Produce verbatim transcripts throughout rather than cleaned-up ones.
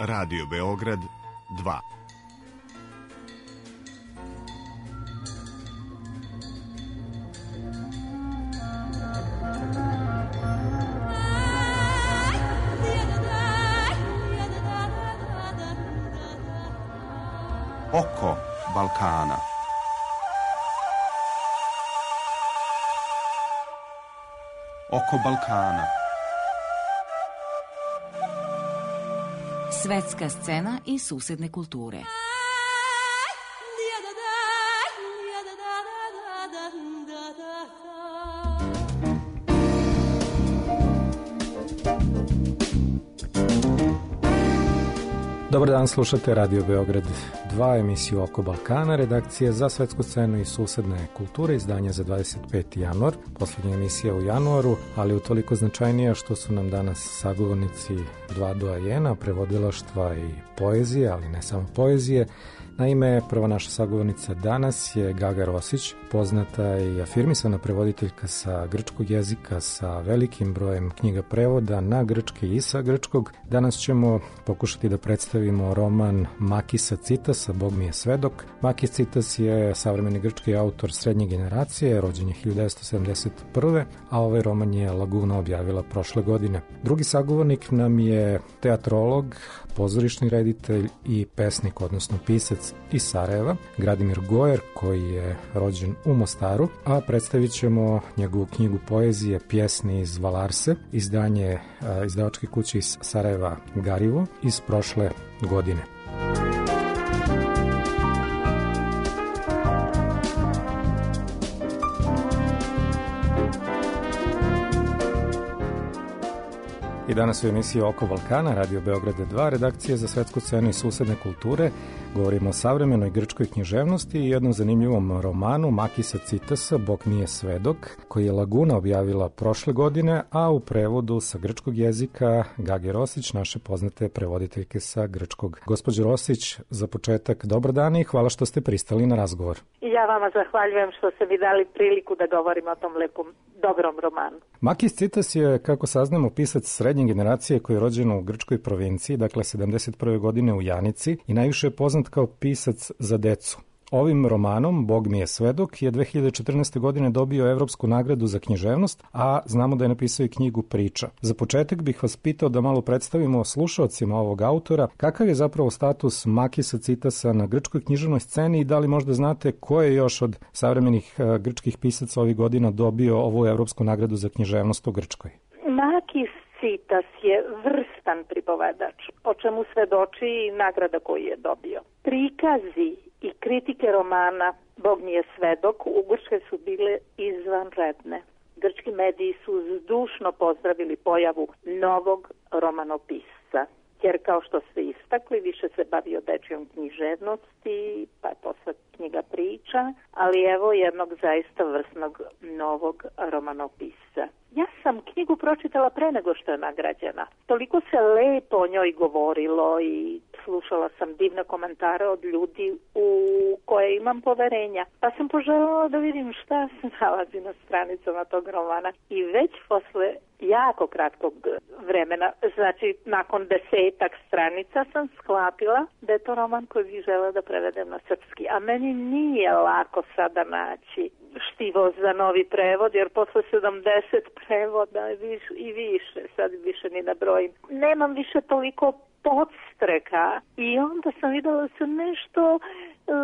Radio Beograd dva. Oko Balkana. Oko Balkana. Svetska scena i susedne kulture. Dobar dan, slušate Radio Beograd dva, emisiju Oko Balkana, redakcije za svetsku scenu i susedne kulture, izdanja za dvadeset peti januar, poslednja emisija u januaru, ali utoliko značajnija što su nam danas sagovornici dva doajena, prevodilaštva i poezije, ali ne samo poezije. Naime, prva naša sagovornica danas je Gaga Rosić, poznata i afirmisana prevoditeljka sa grčkog jezika sa velikim brojem knjiga prevoda na grčki i sa grčkog. Danas ćemo pokušati da predstavimo roman Makisa Citasa, Bog mi je svedok. Makis Citas je savremeni grčki autor srednje generacije, rođen je hiljadu devetsto sedamdeset prve. a ovaj roman je Laguna objavila prošle godine. Drugi sagovornik nam je teatrolog, pozorišni reditelj i pesnik, odnosno pisac iz Sarajeva, Gradimir Gojer, koji je rođen u Mostaru, a predstavit ćemo njegovu knjigu poezije Pjesni iz Valarse, izdanje izdavačke kuće iz Sarajeva Garivo iz prošle godine. I danas u emisiji Oko Balkana, Radio Beograda dva, redakcije za svetsku scenu i susedne kulture, govorimo o savremenoj grčkoj književnosti i jednom zanimljivom romanu Makisa Citasa, Bog mi je svedok, koji je Laguna objavila prošle godine, a u prevodu sa grčkog jezika Gage Rosić, naše poznate prevoditeljke sa grčkog. Gospođo Rosić, za početak dobar dan i hvala što ste pristali na razgovor. I ja vama zahvaljujem što ste mi dali priliku da govorim o tom lepom, dobrom romanu. Makis Citas je, kako saznamo, pisac srednje generacije koji je rođen u grčkoj provinciji, dakle sedamdeset prve godine u Janici, i najviše je poznat kao pisac za decu. Ovim romanom, Bog mi je svedok, je dve hiljade četrnaeste. godine dobio Evropsku nagradu za književnost, a znamo da je napisao i knjigu Priča. Za početak bih vas pitao da malo predstavimo slušaocima ovog autora kakav je zapravo status Makisa Citasa na grčkoj književnoj sceni i da li možda znate ko je još od savremenih grčkih pisaca ovih godina dobio ovu Evropsku nagradu za književnost u Grčkoj. Makis Citas je vrstan pripovedač, o čemu svedoči i nagrada koju je dobio. Prikazi i kritike romana Bog mi je svedok u Grčkoj su bile izvanredne. Grčki mediji su zdušno pozdravili pojavu novog romanopisca, jer kao što ste istakli, više se bavio dečjom književnosti, pa je posle knjiga Priča, ali evo jednog zaista vrsnog novog romanopisca. Ja sam knjigu pročitala pre nego što je nagrađena. Toliko se lepo o njoj govorilo i slušala sam divne komentare od ljudi u koje imam poverenja. Pa sam poželjela da vidim šta se nalazi na stranicama tog romana. I već posle jako kratkog vremena, znači nakon desetak stranica, sam shvatila da je to roman koji bih želela da prevedem na srpski. A meni nije lako sada naći štivo za novi prevod, jer posle sedamdeset prevoda i više, sad više ni na broj, nemam više toliko podstreka i onda sam videla da se nešto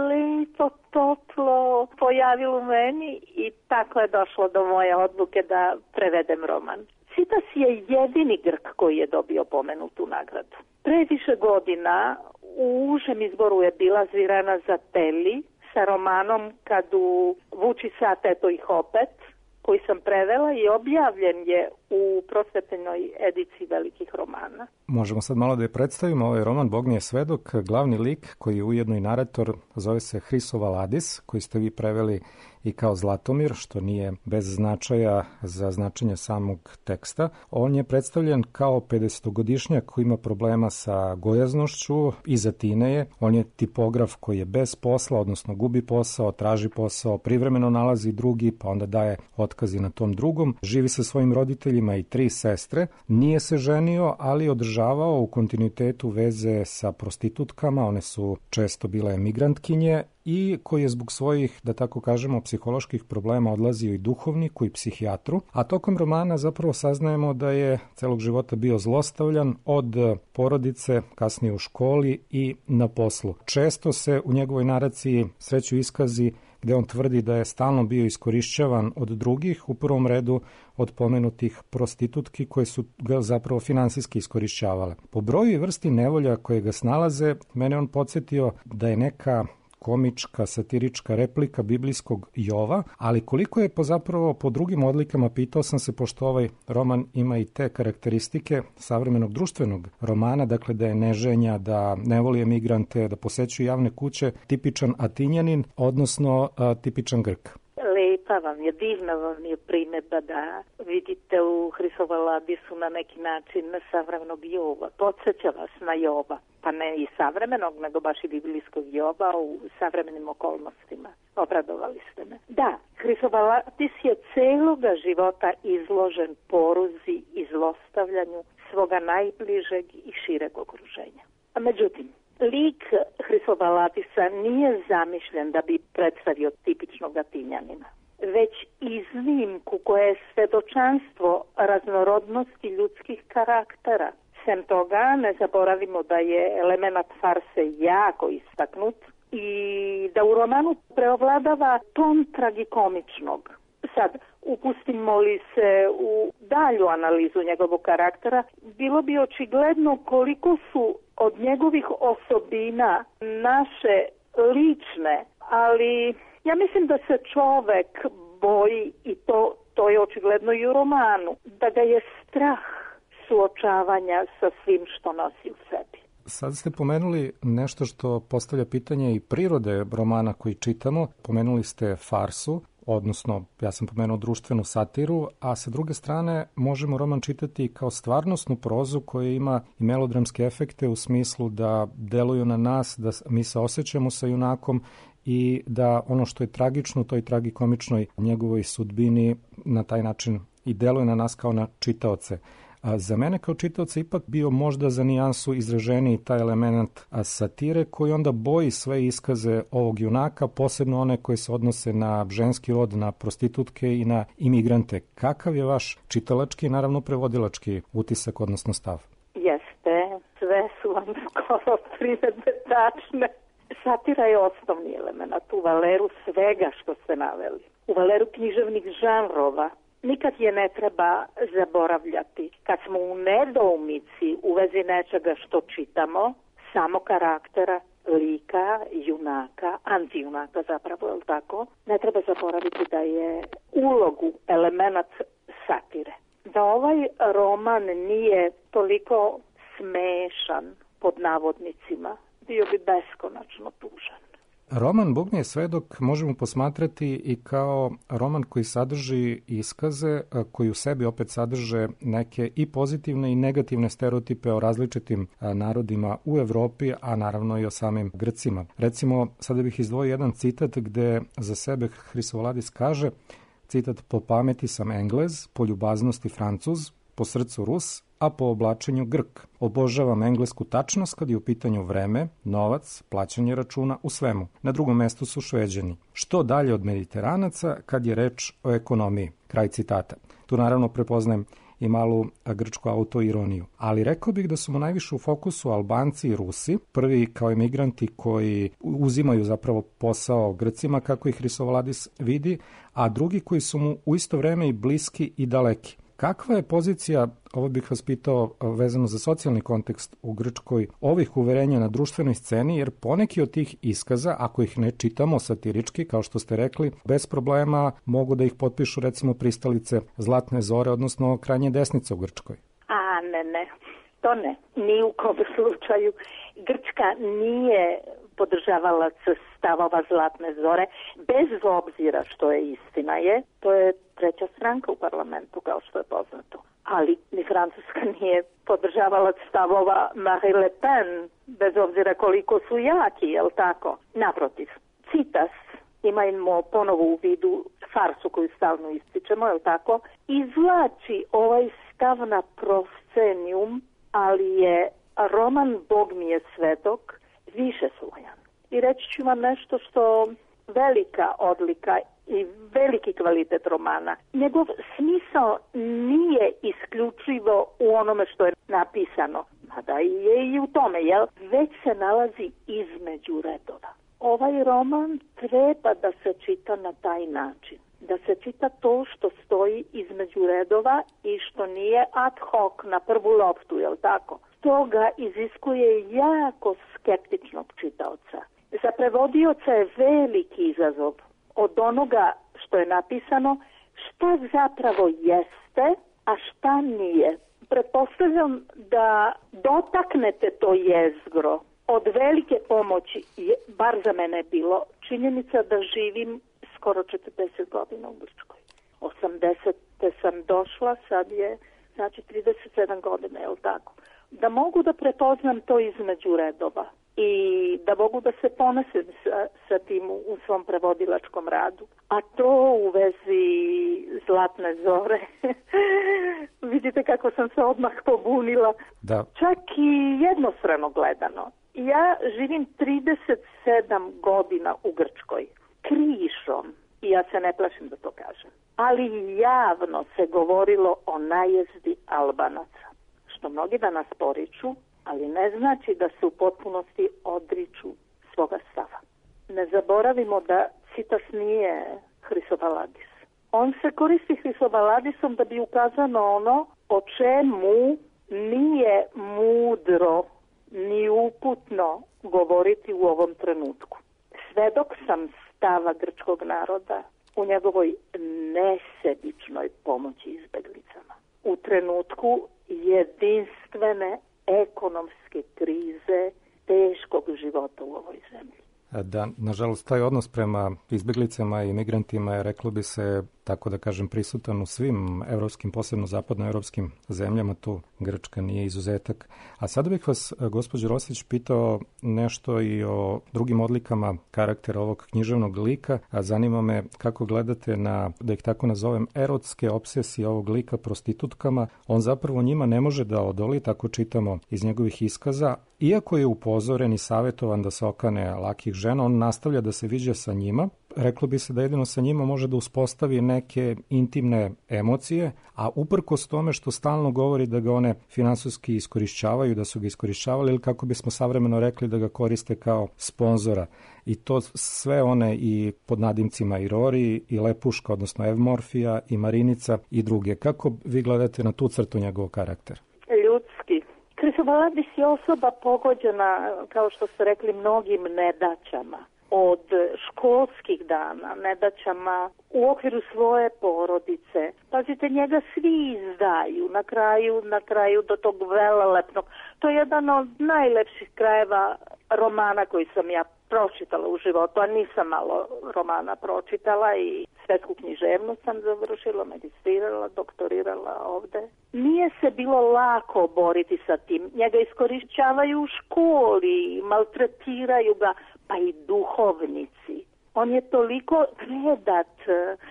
lepo, toplo pojavilo u meni i tako je došlo do moje odluke da prevedem roman. Citas je jedini Grk koji je dobio pomenutu nagradu. Pre više godina u užem izboru je bila Zvirana Zateli sa romanom Kadu vuči sat, eto ih opet, koji sam prevela i objavljen je u prosvetenoj ediciji velikih romana. Možemo sad malo da je predstavimo ovaj roman Bog mi je svedok. Glavni lik, koji je ujedno i narator, zove se Hriso Valadis, koji ste vi preveli i kao Zlatomir, što nije bez značaja za značenje samog teksta. On je predstavljen kao pedesetogodišnjak koji ima problema sa gojaznošću, iza tine je. On je tipograf koji je bez posla, odnosno gubi posao, traži posao, privremeno nalazi drugi, pa onda daje otkazi na tom drugom. Živi sa svojim roditeljima i tri sestre. Nije se ženio, ali održavao u kontinuitetu veze sa prostitutkama, one su često bile emigrantkinje, i koji je zbog svojih, da tako kažemo, psiholoških problema odlazio i duhovniku i psihijatru, a tokom romana zapravo saznajemo da je celog života bio zlostavljan od porodice, kasnije u školi i na poslu. Često se u njegovoj naraciji sreću iskazi gde on tvrdi da je stalno bio iskorišćavan od drugih, u prvom redu od pomenutih prostitutki koje su ga zapravo finansijski iskorišćavale. Po broju i vrsti nevolja koje ga snalaze, mene on podsjetio da je neka komička, satirička replika biblijskog Jova, ali koliko je po zapravo po drugim odlikama, pitao sam se, pošto ovaj roman ima i te karakteristike savremenog društvenog romana, dakle da je neženja, da ne voli emigrante, da posećuje javne kuće, tipičan Atinjanin, odnosno a, tipičan Grk. Lepa vam je, divna vam je primjedba da vidite u Hrisovaladisu na neki način savremenog Jova. Podsjeća vas na Jova, pa ne i savremenog, nego baš i biblijskog Jova u savremenim okolnostima. Obradovali ste me. Da, Hrisovaladis je celoga života izložen poruzi i zlostavljanju svoga najbližeg i šireg okruženja. A međutim, lik Hrisovaladisa nije zamišljen da bi predstavio tipičnog Atinjanina, već iznimku koja je svedočanstvo raznorodnosti ljudskih karaktera. Sem toga, ne zaboravimo da je element farse jako istaknut i da u romanu preovladava ton tragikomičnog. Sad, upustimo li se u dalju analizu njegovog karaktera, bilo bi očigledno koliko su od njegovih osobina naše lične, ali ja mislim da se čovek boji, i to, to je očigledno i u romanu, da ga je strah suočavanja sa svim što nosi u sebi. Sad ste pomenuli nešto što postavlja pitanje i prirode romana koji čitamo. Pomenuli ste farsu, odnosno ja sam pomenuo društvenu satiru, a sa druge strane možemo roman čitati kao stvarnosnu prozu koja ima i melodramske efekte u smislu da deluju na nas, da mi se osjećamo sa junakom i da ono što je tragično u toj tragikomičnoj njegovoj sudbini na taj način i deluje na nas kao na čitaoce. A za mene kao čitaoca ipak bio možda za nijansu izraženiji taj element satire koji onda boji sve iskaze ovog junaka, posebno one koje se odnose na ženski rod, na prostitutke i na imigrante. Kakav je vaš čitalački i naravno prevodilački utisak, odnosno stav? Jeste, sve su vam skoro primedbe tačne. Satira je osnovni element u valeru svega što ste naveli. U valeru književnih žanrova nikad je ne treba zaboravljati. Kad smo u nedoumici u vezi nečega što čitamo, samo karaktera, lika, junaka, antijunaka zapravo, je li tako? Ne treba zaboraviti da je ulogu element satire. Da ovaj roman nije toliko smešan, pod navodnicima, bio bi beskonačno tužan. Roman Bog mi je svedok možemo posmatrati i kao roman koji sadrži iskaze, koji u sebi opet sadrže neke i pozitivne i negativne stereotipe o različitim narodima u Evropi, a naravno i o samim Grcima. Recimo, sada bih izdvojio jedan citat gde za sebe Hrisovaladis kaže, citat: po pameti sam Englez, po ljubaznosti Francuz, po srcu Rus, a po oblačenju Grk. Obožavam englesku tačnost kad je u pitanju vreme, novac, plaćanje računa, u svemu. Na drugom mestu su Šveđani. Što dalje od Mediteranaca kad je reč o ekonomiji. Kraj citata. Tu naravno prepoznajem i malu grčku autoironiju. Ali rekao bih da su mu najviše u fokusu Albanci i Rusi, prvi kao emigranti koji uzimaju zapravo posao Grcima kako ih Hrisovaladis vidi, a drugi koji su mu u isto vreme i bliski i daleki. Kakva je pozicija, ovo bih vas pitao vezano za socijalni kontekst u Grčkoj, ovih uverenja na društvenoj sceni, jer poneki od tih iskaza, ako ih ne čitamo satirički, kao što ste rekli, bez problema mogu da ih potpišu recimo pristalice Zlatne zore, odnosno krajnje desnice u Grčkoj? A ne, ne, to ne, ni u kom slučaju. Grčka Cita nije podržavalac stavova Zlatne zore, bez obzira što je istina je, to je treća stranka u parlamentu, kao što je poznato. Ali ni Francuska nije podržavalac stavova Marine Le Pen, bez obzira koliko su jaki, jel tako? Naprotiv, Citas, imajmo ponovo u vidu farsu koju stalno ističemo, jel tako? Izvlači ovaj stav na proscenium, ali je roman Bog mi je svedok više slojan. I reći ću vam nešto što velika odlika i veliki kvalitet romana. Njegov smisao nije isključivo u onome što je napisano, mada je i u tome, jel? Već se nalazi između redova. Ovaj roman treba da se čita na taj način. Da se čita to što stoji između redova i što nije ad hoc na prvu loptu, jel tako? To ga iziskuje jako skeptičnog čitaoca. Za prevodioca je veliki izazov od onoga što je napisano, šta zapravo jeste, a šta nije. Pretpostavljam da dotaknete to jezgro. Od velike pomoći, bar za mene je bilo, činjenica da živim skoro četrdeset godina u Grčkoj. osamdesete sam došla, sad je znači trideset sedam godina, je li tako? Da mogu da prepoznam to između redova i da mogu da se ponosim sa, sa tim u svom prevodilačkom radu. A to u vezi Zlatne zore, vidite kako sam se odmah pobunila. Da. Čak i jednostrano gledano. Ja živim trideset sedam godina u Grčkoj, krišom, i ja se ne plašim da to kažem. Ali javno se govorilo o najezdi Albanaca, što mnogi danas poriču, ali ne znači da se u potpunosti odriču svoga stava. Ne zaboravimo da Citas nije Hrisobaladis. On se koristi Hrisobaladisom da bi ukazao na ono o čemu nije mudro ni uputno govoriti u ovom trenutku. Svedok sam stava grčkog naroda u njegovoj nesebičnoj pomoći izbeglicama. U trenutku jedinstvene ekonomske krize, teškog života u ovoj zemlji. Da, nažalost, taj odnos prema izbeglicama i migrantima je, reklo bi se, tako da kažem, prisutan u svim evropskim, posebno zapadnoevropskim zemljama, tu Grčka nije izuzetak. A sada bih vas, gospođo Rosić, pitao nešto i o drugim odlikama karaktera ovog književnog lika, a zanima me kako gledate na, da ih tako nazovem, erotske obsesije ovog lika prostitutkama. On zapravo njima ne može da odoli, tako čitamo iz njegovih iskaza. Iako je upozoren i savjetovan da se okane lakih žena, on nastavlja da se viđa sa njima. Reklo bi se da jedino sa njima može da uspostavi neke intimne emocije, a uprkos tome što stalno govori da ga one finansijski iskorišćavaju, da su ga iskorišćavali, ili kako bismo savremeno rekli da ga koriste kao sponzora. I to sve one i pod nadimcima i Rori, i Lepuška, odnosno Evmorfija, i Marinica i druge. Kako vi gledate na tu crtu njegovog karaktera? Ljudski. Hrisobaladis je osoba pogođena, kao što ste rekli, mnogim nedaćama. Od školskih dana, nedaćama u okviru svoje porodice. Pazite, njega svi izdaju na kraju, na kraju do tog velelepnog. To je jedan od najlepših krajeva romana koji sam ja pročitala u životu, a nisam malo romana pročitala i svetsku književnost sam završila, magistrirala, doktorirala ovde. Nije se bilo lako boriti sa tim. Njega iskorišćavaju u školi, maltretiraju ga, pa i duhovnici. On je toliko predat,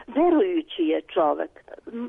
verujući je čovek.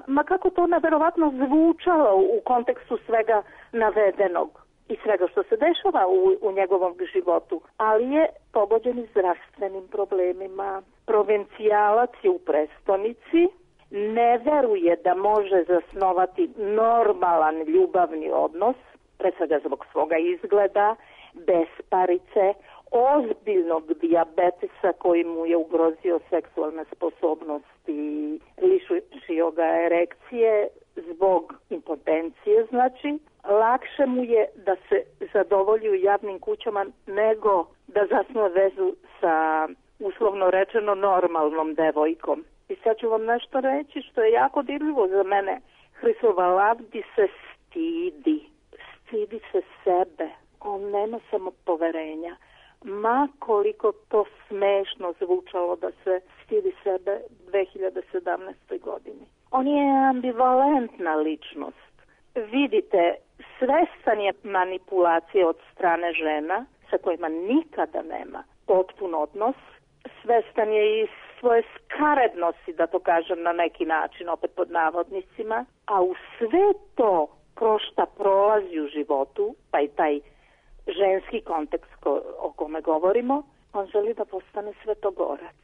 Ma kako to neverovatno zvučalo u kontekstu svega navedenog i svega što se dešava u, u njegovom životu. Ali je pogođen i zdravstvenim problemima. Provincijalac je u prestonici, ne veruje da može zasnovati normalan ljubavni odnos, pre svega zbog svoga izgleda, besparice, ozbiljnog dijabetesa koji mu je ugrozio seksualne sposobnosti, lišio ga erekcije zbog impotencije, znači. Lakše mu je da se zadovolji u javnim kućama nego da zasnuje vezu sa, uslovno rečeno, normalnom devojkom. I sad ću vam nešto reći što je jako dirljivo za mene. Hrisobaladis se stidi. Stidi se sebe. On nema samo poverenja. Ma koliko to smešno zvučalo da se stidi sebe dve hiljade sedamnaeste. godini. On je ambivalentna ličnost. Vidite, svestan je manipulacije od strane žena sa kojima nikada nema potpun odnos. Svestan je i svoje skarednosti, da to kažem na neki način, opet pod navodnicima, a u sve to kroz šta prolazi u životu, pa i taj ženski kontekst ko, o kome govorimo, on želi da postane svetogorac.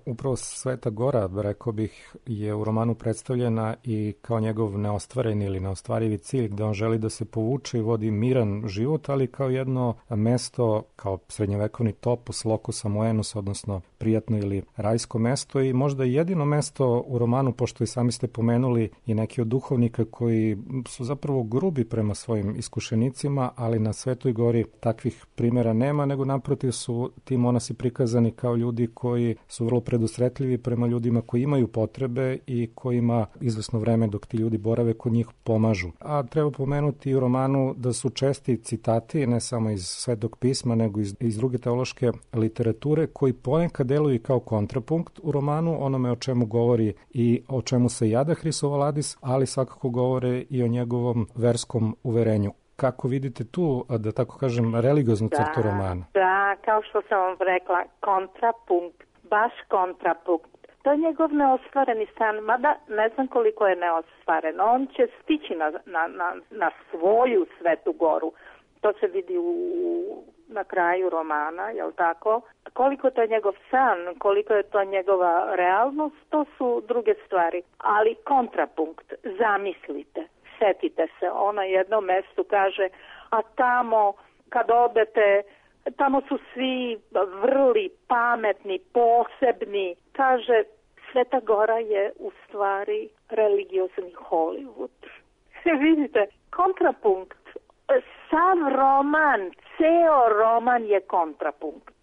Upravo Sveta Gora, rekao bih, je u romanu predstavljena i kao njegov neostvareni ili neostvarivi cilj, gde on želi da se povuče i vodi miran život, ali kao jedno mesto, kao srednjovekovni topos, locus amoenus, odnosno prijatno ili rajsko mesto, i možda jedino mesto u romanu, pošto i sami ste pomenuli i neki od duhovnika koji su zapravo grubi prema svojim iskušenicima, ali na Svetoj Gori takvih primjera nema, nego naprotiv su ti monasi prikazani kao ljudi koji su vrlo predusretljivi prema ljudima koji imaju potrebe i kojima izvesno vreme dok ti ljudi borave kod njih pomažu. A treba pomenuti u romanu da su česti citati, ne samo iz Svetog pisma, nego iz, iz druge teološke literature, koji ponekad deluju kao kontrapunkt u romanu, onome o čemu govori i o čemu se jada Hristovaladis, ali svakako govore i o njegovom verskom uverenju. Kako vidite tu, da tako kažem, religioznu crtu romana? Da, kao što sam vam rekla, kontrapunkt, baš kontrapunkt. To je njegov neostvareni stan, mada ne znam koliko je neostvaren. On će stići na, na, na, na svoju Svetu Goru. To se vidi u, na kraju romana, jel tako? Koliko to je njegov san, koliko je to njegova realnost, to su druge stvari. Ali kontrapunkt, zamislite, setite se, on na jednom mestu kaže, a tamo kad odete, tamo su svi vrli, pametni, posebni. Kaže, Sveta Gora je u stvari religiozni Hollywood. Vidite, kontrapunkt. Sav roman, ceo roman je kontrapunkt.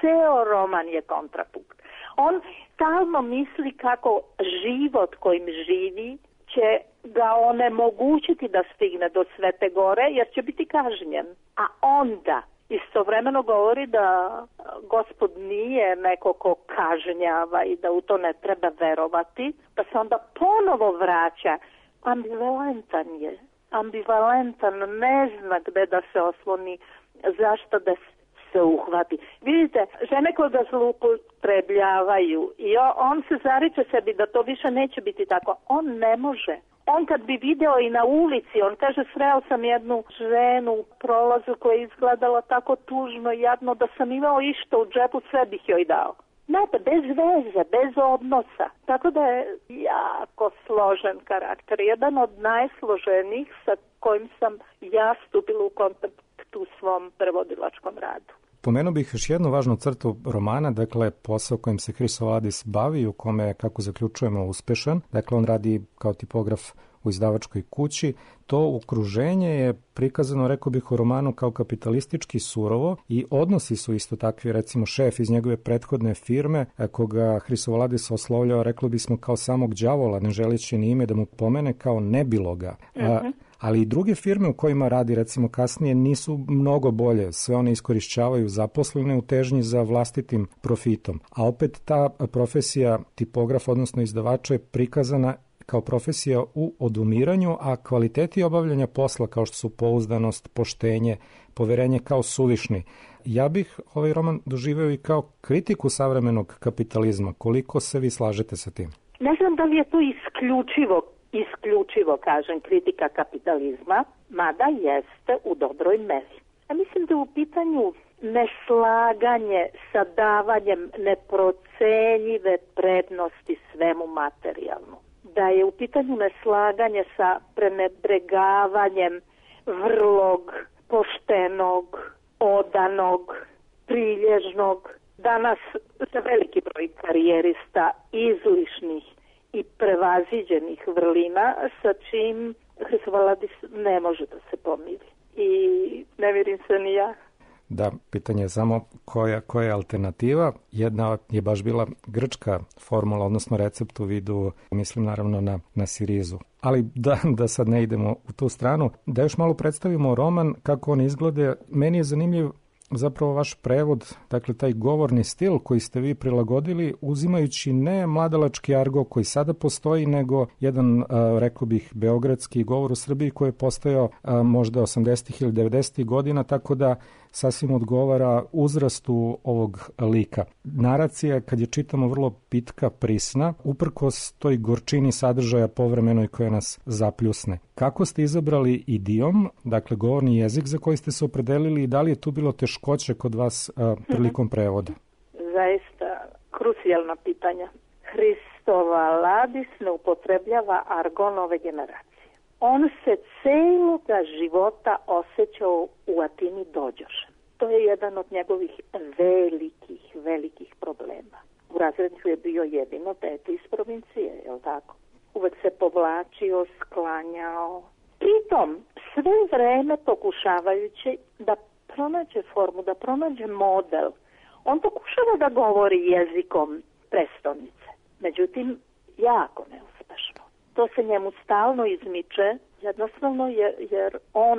Ceo roman je kontrapunkt. On stalno misli kako život kojim živi će ga onemogućiti da stigne do Svete Gore, jer će biti kažnjen. A onda istovremeno govori da Gospod nije neko ko kažnjava i da u to ne treba verovati, pa se onda ponovo vraća. Ambivalentan je. Ambivalentan, ne zna gde da se osloni, zašto da se uhvati. Vidite, žene koje ga zloupotrebljavaju i on se zariče sebi da to više neće biti tako. On ne može. On kad bi video i na ulici, on kaže, sreo sam jednu ženu u prolazu koja je izgledala tako tužno i jadno da sam imao išta u džepu, sve bih joj dao. Znate, bez veze, bez odnosa. Tako da je jako složen karakter. Jedan od najsloženijih sa kojim sam ja stupila u kontakt u svom prevodilačkom radu. Pomenuo bih još jednu važnu crtu romana, dakle posao kojim se Hristovaladis bavi, u kome je, kako zaključujemo, uspešan. Dakle, on radi kao tipograf u izdavačkoj kući. To okruženje je prikazano, rekao bih, u romanu kao kapitalistički surovo i odnosi su isto takvi, recimo šef iz njegove prethodne firme, koga Hristovaladis oslovljava, reklo bismo, kao samog đavola, ne želeći ni ime da mu pomene, kao nebiloga. Uh-huh. Ali i druge firme u kojima radi, recimo kasnije, nisu mnogo bolje. Sve one iskorišćavaju zaposlene u težnji za vlastitim profitom. A opet ta profesija tipograf, odnosno izdavača, je prikazana kao profesija u odumiranju, a kvaliteti obavljanja posla, kao što su pouzdanost, poštenje, poverenje, kao suvišni. Ja bih ovaj roman doživeo i kao kritiku savremenog kapitalizma. Koliko se vi slažete sa tim? Ne znam da li je to isključivo isključivo, kažem, kritika kapitalizma, mada jeste u dobroj meri. Ja mislim da je u pitanju neslaganje sa davanjem neprocenjive prednosti svemu materijalnom. Da je u pitanju neslaganje sa prenebregavanjem vrlog, poštenog, odanog, prilježnog. Danas za veliki broj karijerista izlišnih i prevaziđenih vrlina sa čim Hristovaladis ne može da se pomiri. I ne vjerim se ni ja. Da, pitanje je samo koja, koja je alternativa. Jedna je baš bila grčka formula, odnosno recept u vidu, mislim naravno na, na sirizu. Ali da, da sad ne idemo u tu stranu, da još malo predstavimo roman, kako on izgleda. Meni je zanimljiv zapravo vaš prevod, dakle taj govorni stil koji ste vi prilagodili, uzimajući ne mladalački argo koji sada postoji, nego jedan, rekao bih, beogradski govor u Srbiji koji je postojao možda osamdesetih ili devedesetih godina, tako da sasvim odgovara uzrastu ovog lika. Naracija, kad je čitamo, vrlo pitka, prisna, uprkos toj gorčini sadržaja povremenoj koja nas zapljusne. Kako ste izabrali idiom, dakle govorni jezik za koji ste se opredelili, i da li je tu bilo teškoće kod vas a, prilikom prevoda? Zaista krucijalna pitanja. Hristovaladis ne upotrebljava argon ove generacije. On se celoga života osjećao u Atini dođošem. To je jedan od njegovih velikih, velikih problema. U razredniku je bio jedino dete iz provincije, je li tako? Uvek se povlačio, sklanjao. Pritom, sve vreme pokušavajući da pronađe formu, da pronađe model, on pokušava da govori jezikom prestonice. Međutim, jako neuspešno. To se njemu stalno izmiče, jednostavno jer, jer on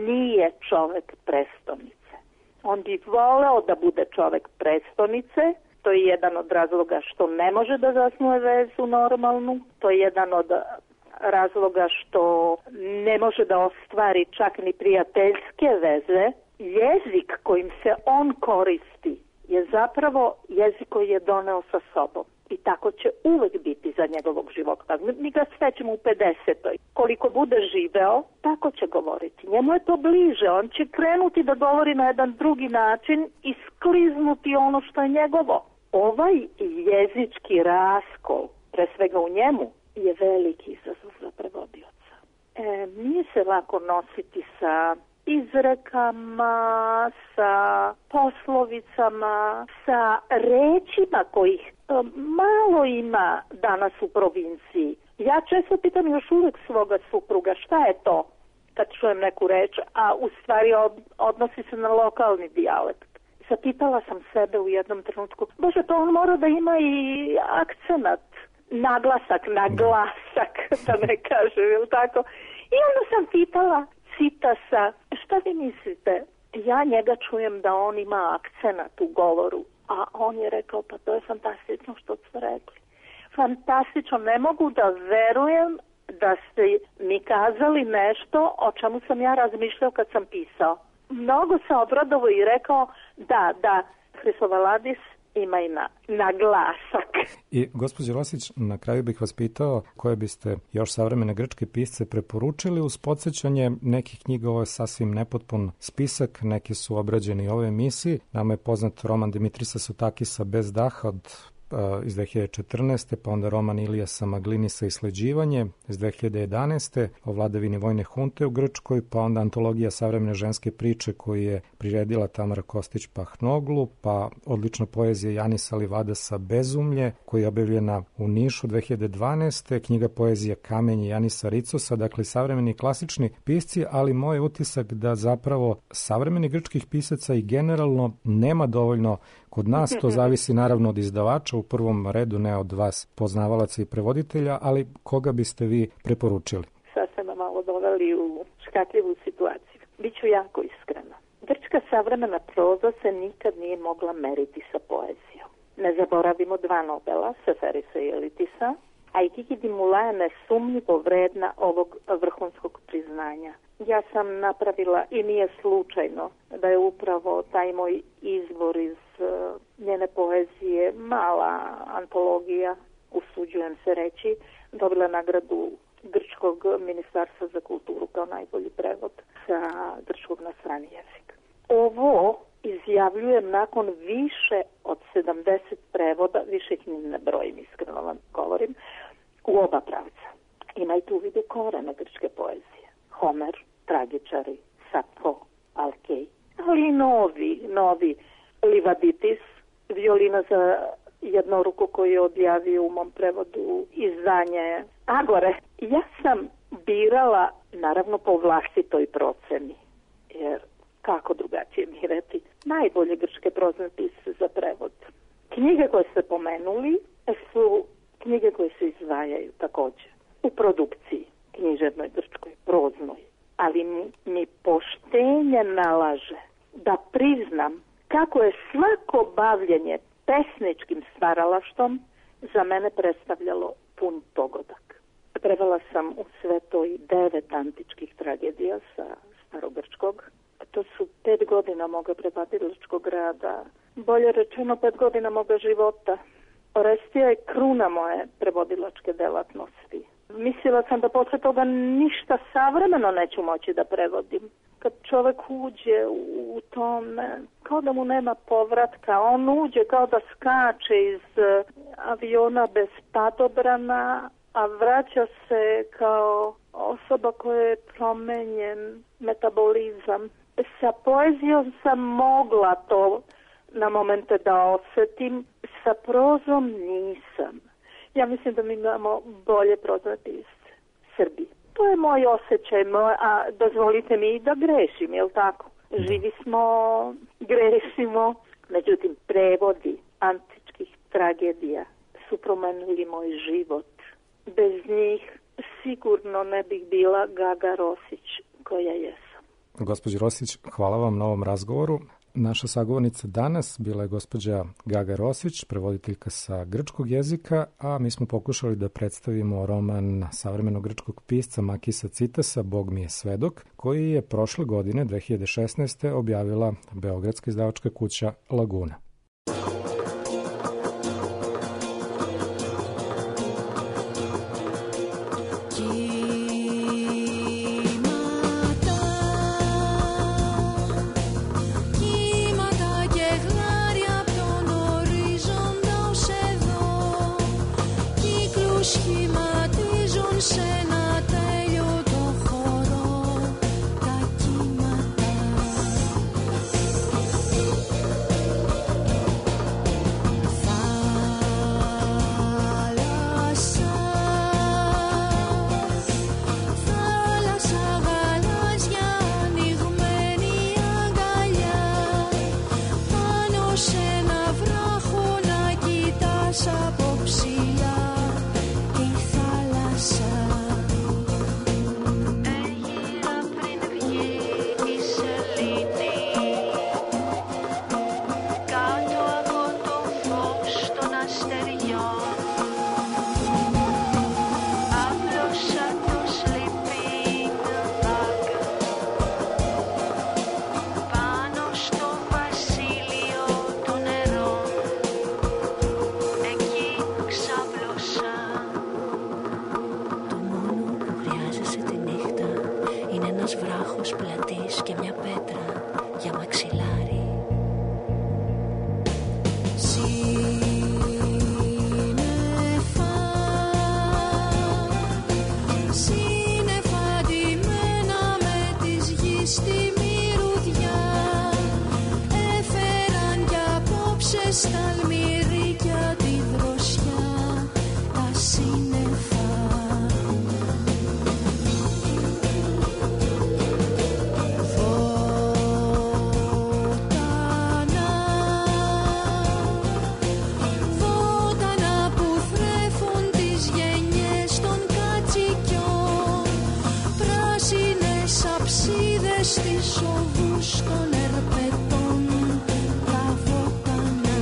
nije čovek prestonice. On bi voleo da bude čovek prestonice, to je jedan od razloga što ne može da zasnuje vezu normalnu, to je jedan od razloga što ne može da ostvari čak ni prijateljske veze. Jezik kojim se on koristi je zapravo jezik koji je doneo sa sobom. I tako će uvek biti za njegovog života. Mi ga svećemo u pedesetoj. Koliko bude živeo, tako će govoriti. Njemu je to bliže. On će krenuti da govori na jedan drugi način i skliznuti ono što je njegovo. Ovaj jezički raskol, pre svega u njemu, je veliki izazov za prevodioca. E, nije se lako nositi sa izrekama, sa poslovicama, sa rečima kojih malo ima danas u provinciji. Ja često pitam još uvek svoga supruga šta je to kad čujem neku reč, a u stvari od, odnosi se na lokalni dijalekt. Zapitala sam sebe u jednom trenutku, bože, to on mora da ima i akcenat, naglasak, naglasak, da ne kažem, ili tako. I onda sam pitala Citasa, šta vi mislite? Ja njega čujem da on ima akcenat u govoru, a on je rekao, pa to je fantastično što ste rekli. Fantastično, ne mogu da verujem da ste mi kazali nešto o čemu sam ja razmišljao kad sam pisao. Mnogo se obradovao i rekao, da, da, Hristovaladis ima i na, na glasak. I, gospođo Rosić, na kraju bih vas pitao koje biste još savremene grčke pisce preporučili uz podsjećanje nekih knjiga. Ovo je sasvim nepotpun spisak, neki su obrađeni u ovoj emisiji. Nama je poznat roman Dimitrisa Sotakisa Bez daha od iz dve hiljade četrnaeste. pa onda roman Ilijasa Maglinisa Isleđivanje iz dve hiljade jedanaeste. o vladavini vojne hunte u Grčkoj, pa onda antologija savremene ženske priče koju je priredila Tamara Kostić-Pahnoglu, pa odlična poezija Janisa Livadasa Bezumlje koja je objavljena u Nišu dve hiljade dvanaeste. knjiga poezija Kamenje Janisa Ricosa, dakle savremeni klasični pisci, ali moj utisak da zapravo savremenih grčkih pisaca i generalno nema dovoljno kod nas. To zavisi naravno od izdavača, u prvom redu ne od vas poznavalaca i prevoditelja, ali koga biste vi preporučili? Sad ste me malo doveli u škakljivu situaciju. Biću jako iskrena. Grčka savremena proza se nikad nije mogla meriti sa poezijom. Ne zaboravimo dva Nobela, Seferisa i Elitisa, a i Kiki Dimula je nesumnjivo vredna ovog vrhunskog priznanja. Ja sam napravila, i nije slučajno, da je upravo taj moj izvor iz uh, njene poezije, mala antologija, usuđujem se reći, dobila nagradu Grčkog ministarstva za kulturu kao najbolji prevod sa grčkog na strani jezik. Ovo izjavljujem nakon više od sedamdeset prevoda, više ih ne brojim, iskreno vam govorim, u oba pravca. Imajte u vidu korene grčke poezije. Homer, tragičari, Safo, Alkej, ali i novi, novi Livaditis, violina za jednoruku koju je objavio u mom prevodu izdanje Agore. Ja sam birala, naravno po vlastitoj proceni, jer kako drugačije birati, najbolje grčke prozne pisce za prevod. Knjige koje ste pomenuli su knjige koje se izdvajaju također u produkciji književnoj, grčkoj, proznoj. Ali mi, mi poštenje nalaže da priznam kako je svako bavljenje pesničkim stvaralaštvom za mene predstavljalo pun pogodak. Prevela sam u sve to i devet antičkih tragedija sa starogrčkog. To su pet godina moga prevodilačkog rada, bolje rečeno pet godina moga života. Orestija je kruna moje prevodilačke delatnosti. Mislila sam da posle toga ništa savremeno neću moći da prevodim. Kad čovek uđe u tome, kao da mu nema povratka, on uđe kao da skače iz aviona bez padobrana, a vraća se kao osoba koja je promenjen metabolizam. Sa poezijom sam mogla to na momente da osetim, sa prozom nisam. Ja mislim da mi imamo bolje prozne pisce, Srbi. To je moj osjećaj, moj, a dozvolite mi da grešim, jel tako? Živi smo, grešimo, međutim prevodi antičkih tragedija su promenili moj život. Bez njih sigurno ne bih bila Gaga Rosić koja jesam. Gospođo Rosić, hvala vam na ovom razgovoru. Naša sagovornica danas bila je gospođa Gaga Rosić, prevoditeljka sa grčkog jezika, a mi smo pokušali da predstavimo roman savremenog grčkog pisca Makisa Citasa Bog mi je svedok, koji je prošle godine, dve hiljade šesnaeste. objavila beogradska izdavačka kuća Laguna. Στον ερπετών τα βότανα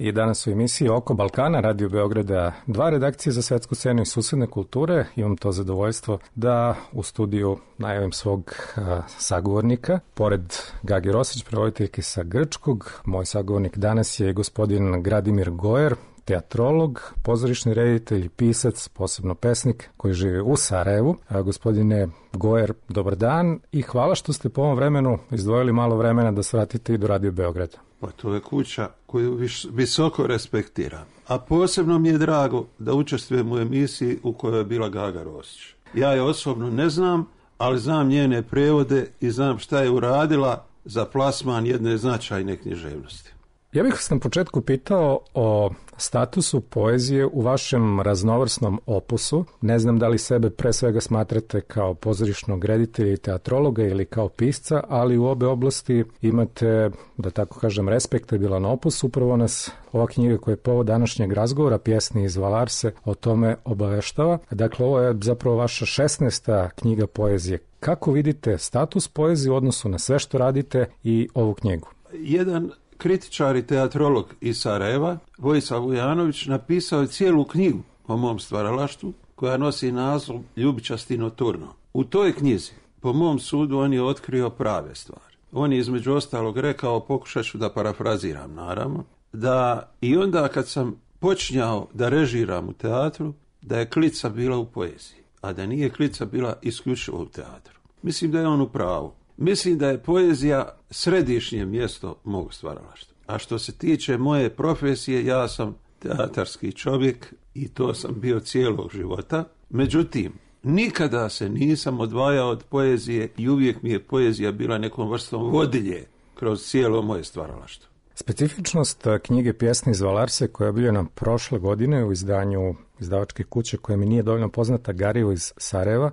I danas u emisiji Oko Balkana, Radio Beograda dva, redakcije za svetsku scenu i susedne kulture. Imam to zadovoljstvo da u studiju najavim svog a, sagovornika. Pored Gage Rosić, prevoditeljke sa grčkog, moj sagovornik danas je gospodin Gradimir Gojer, teatrolog, pozorišni reditelj, pisac, posebno pesnik koji živi u Sarajevu. A, gospodine Gojer, dobar dan i hvala što ste po ovom vremenu izdvojili malo vremena da svratite i do Radio Beograda. Pa to je kuća koju viš, visoko respektiram. A posebno mi je drago da učestvujem u emisiji u kojoj je bila Gaga Rosić. Ja je osobno ne znam, ali znam njene prevode i znam šta je uradila za plasman jedne značajne književnosti. Ja bih vas na početku pitao o statusu poezije u vašem raznovrsnom opusu. Ne znam da li sebe pre svega smatrate kao pozorišnog reditelja i teatrologa ili kao pisca, ali u obe oblasti imate, da tako kažem, respektabilan opus. Upravo nas ova knjiga koja je povod današnjeg razgovora, Pjesme iz Valarse, o tome obaveštava. Dakle, ovo je zapravo vaša šesnaesta knjiga poezije. Kako vidite status poezije u odnosu na sve što radite i ovu knjigu? Jedan kritičar i teatrolog iz Sarajeva, Vojislav Vujanović, napisao je cijelu knjigu o mom stvaralaštvu koja nosi naslov Ljubičasti noturno. U toj knjizi, po mom sudu, on je otkrio prave stvari. On je između ostalog rekao, pokušat ću da parafraziram naravno, da i onda kad sam počinjao da režiram u teatru, da je klica bila u poeziji, a da nije klica bila isključivo u teatru. Mislim da je on u pravu. Mislim da je poezija središnje mjesto mog stvaralaštva. A što se tiče moje profesije, ja sam teatarski čovjek i to sam bio cijelog života. Međutim, nikada se nisam odvajao od poezije i uvijek mi je poezija bila nekom vrstom vodilje kroz cijelo moje stvaralaštvo. Specifičnost knjige Pjesme iz Valarse koja je objavljena prošle godine u izdanju izdavačke kuće koja mi nije dovoljno poznata, Garivo iz Sarajeva,